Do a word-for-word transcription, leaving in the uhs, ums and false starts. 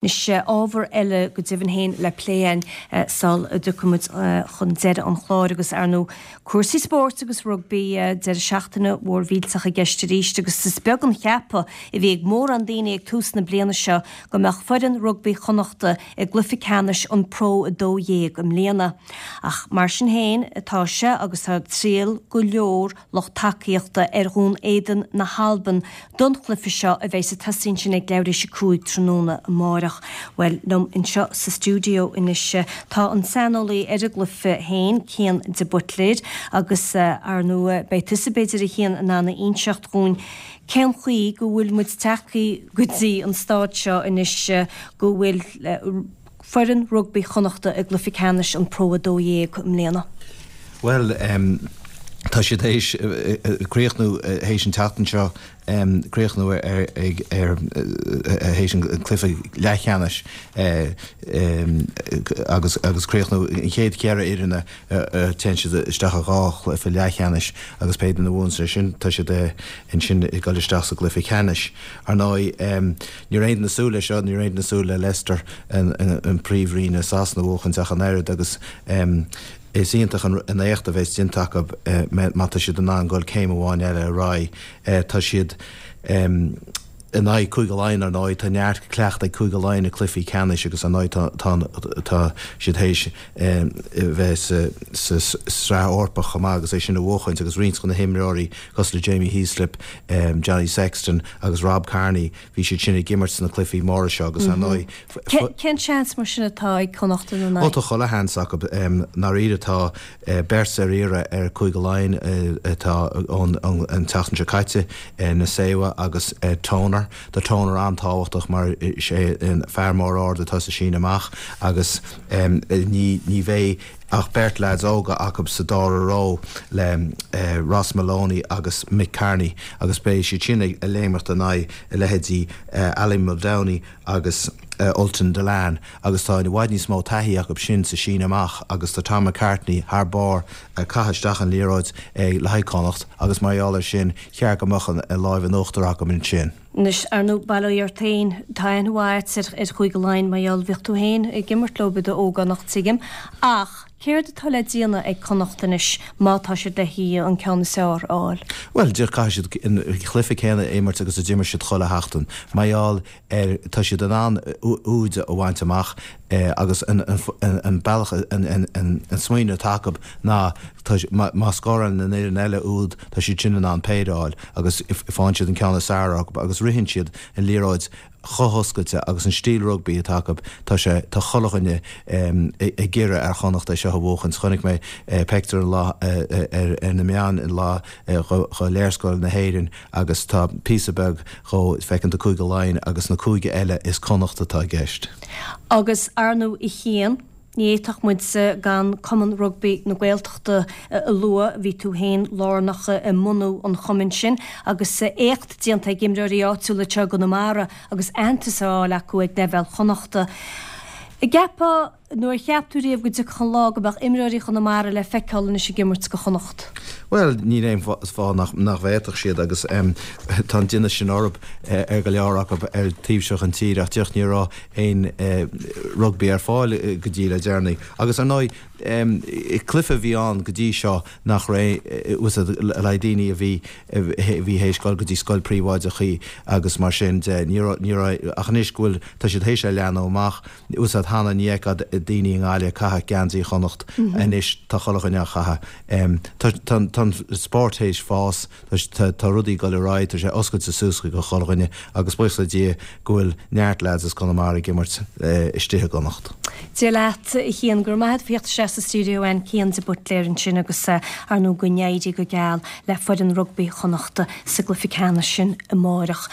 Anois ábhar eile go deimhin féin le plé againn sul a dtiocfaidh muid chun deireadh an chláir agus ar ndóigh cúrsaí spóirt agus rugbaí deireadh seachtaine mhór mhillteach i gceist arís agus is beag an ceapadh a bhí ag mórán daoine ag tús na bliana seo go mbeadh foireann rugbaí Chonnachta i gcluiche ceannais an Pro a dó dhéag i mbliana. Ach mar sin féin atá sé agus tá triall go leor lucht tacaíochta ar Dhún Éideann na hAlban don chluiche seo a bheidh ag tosaí ansin ag leathuair théis a cúig tráthnóna amárach. Bhuel liom anseo sa stiúideo anois tá an saineolaí ar an gcluiche féin, Cian de Buitléir, agus ar ndóigh beidh tusa b'fhéidir a Chian in ann a inseacht dhúinn cén chaoi go bhfuil muid tagtha go dtí an staid seo anois go bhfuil foireann rugbaí Chonnachta i gcluiche ceannais an Pro a dó dhéag i mbliana. Bhuel um, tá siad théis críochnú théis an tseachtain seo críochnú ar ar théis an cluiche leathcheannais agus agus críochnú an chéad cheithre fhoireann téann siad isteach a dhá chluiche leathcheannais agus pé duine a bhuann sin tá siad ansin ag dul isteach sa gcluiche ceannais. Ar ndóigh ní raibh aon duine ag súil leis seo ní raibh aon duine ag súil le Leicester an príomhroinn i Sasana a bhuachan ach an oiread agus is iontach an éacht a bheas déanta acu má tá siad in ann dul céim amháin eile ar aghaidh. Tá siad in aghaidh Cúige Laighean ar ndóigh, tá neart cleachtadh ag Cúige Laighean i cluichí ceannais agus ar ndóigh tá siad théis bheith sa sraith Eorpach chomh maith agus é sin a bhuachaint agus roinnt de na himreoirí cosúil le Jamie Heaslip, Johnny Sexton agus Rob Kearney, bhí siad sin ag imirt sna cluichí móra seo agus ar ndóigh Cén seans mar sin atá ag Connacht ina n-aghaidh? Ó tá chuile sheans acu. Ndáiríre tá beirt ar iarraidh ar Chúige Laighean atá ón an tseachtain seo caite, Nacewa agus Toner. Tá Toner an-tábhachtach mar is é an fear mór ard atá sa síneadh amach agus ní ní bheidh ach beirt leaids óga acu sa dara ró le Ross Molony agus Mick Kearney agus beidh siad sin ag léimeacht in aghaidh a leithéidí Ali Muldowney agus Ultan Dillane agus tá i bhfad níos mó taithí acu sin sa síneadh amach agus tá Tom McCartney thar barr ag caitheamh isteach an liathróid le haghaidh Connacht agus mar gheall air sin cheart go mbeadh an láimh in uachtar acu ansin. Anois, ar ndóigh, bail ó Dhia ort féin, tá aithne mhaith agat ar Chúige Laighean mar gheall, bhíodh tú féin ag imirt leo i d'ógánach, tuigim. Ach céard atá le déanamh ag Connacht anois má tá siad le haghaidh an ceann is fearr a fháil? Bhuel, caithfidh siad an cluiche céanna a imirt agus a d'imir siad chuile sheachtain. Mar gheall ar, tá siad in ann úid a bhaint amach agus an bealach, an smaoineamh atá acu ná má scórálann an fhoireann eile úd, tá siad sin in ann péire a fháil agus faigheann siad an ceann is fearr orthu agus ritheann siad an liathróid chomh hoscailte agus an stíl rugbaí atá acu, tá sé, tá chuile dhuine ag iarraidh ar Chonnacht é seo a bhuachaint. Chonaic mé pictiúr an lá ar na meáin an lá dho léarscáil na hÉireann agus tá píosa beag dhó, feiceann tú Cúige Laighean agus na cúige eile is Connacht atá i gceist. Agus ar ndóigh a Chian, ní fhéadfadh muid gan Cumann Rugbaí na Gaeltachta a lua, bhí tú féin lárnach i mbunú an chumainn sin agus éacht déanta ag imreoirí áitiúla anseo i gConamara agus aitheantas á fháil acu ag leibhéal Chonnachta. An gceapfá nó ar cheap tú riamh go dtiocfadh an lá go mbeadh imreoirí Chonamara le feiceáil anois ag imirt do Chonnacht? Bhuel, níl aon fáth nach bhféadfadh siad agus tá an tinneas sin orthu, ar go leor acu ar taobh seo den tír ach díreach ní raibh aon rugbaí ar fáil go dtí le deireanaí. Agus ar ndóigh, cluiche a bhí ann go dtí seo nach raibh le haghaidh daoine a bhí a bhí théis dul go dtí scoil príobháideach agus mar sin de, ní raibh, ní raibh, ach anois go bhfuil, tá siad théis é a leathnú amach. Úsáid cheana, ní fheicfeá daoine i nGaillimh ag caitheamh geansaí Chonnacht, anois tá chuile dhuine á chaitheamh. Tá an spórt théis fás, tá rudaí ag dul ar aghaidh, tá sé oscailte suas do chuile dhuine agus buíochas le Dia go bhfuil neart leaids as Conamara ag imirt istigh i gConnacht. Dia leat, a Chian, go raibh maith agat as theacht isteach sa stiúideo againn, Cian de Buitléir ansin agus ar ndóigh go n-éirí go geal le foireann rugbaí Chonnachta sa gcluiche ceannais sin amárach.